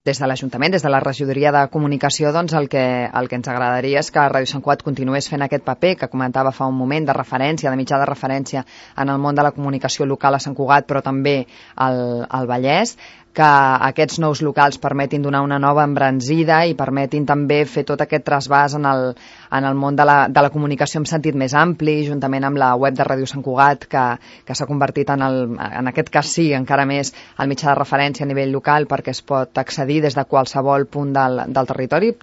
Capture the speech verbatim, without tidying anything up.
Des de l'Ajuntament, des de la Regidoria de Comunicació, doncs el que, el que ens agradaria és que Ràdio Sant Cugat continués fent aquest paper que comentava fa un moment, de referència, de mitjà de referència en el món de la comunicació local a Sant Cugat, però també al, al Vallès, que aquests nous locals permetin donar una nova embranzida i permetin també fer tot aquest trasbàs en el, en el món de la, de la comunicació en sentit més ampli, juntament amb la web de Ràdio Sant Cugat, que, que s'ha convertit en, el, en aquest cas sí, encara més, el mitjà de referència a nivell local, perquè es pot accedir des de qualsevol punt del, del territori,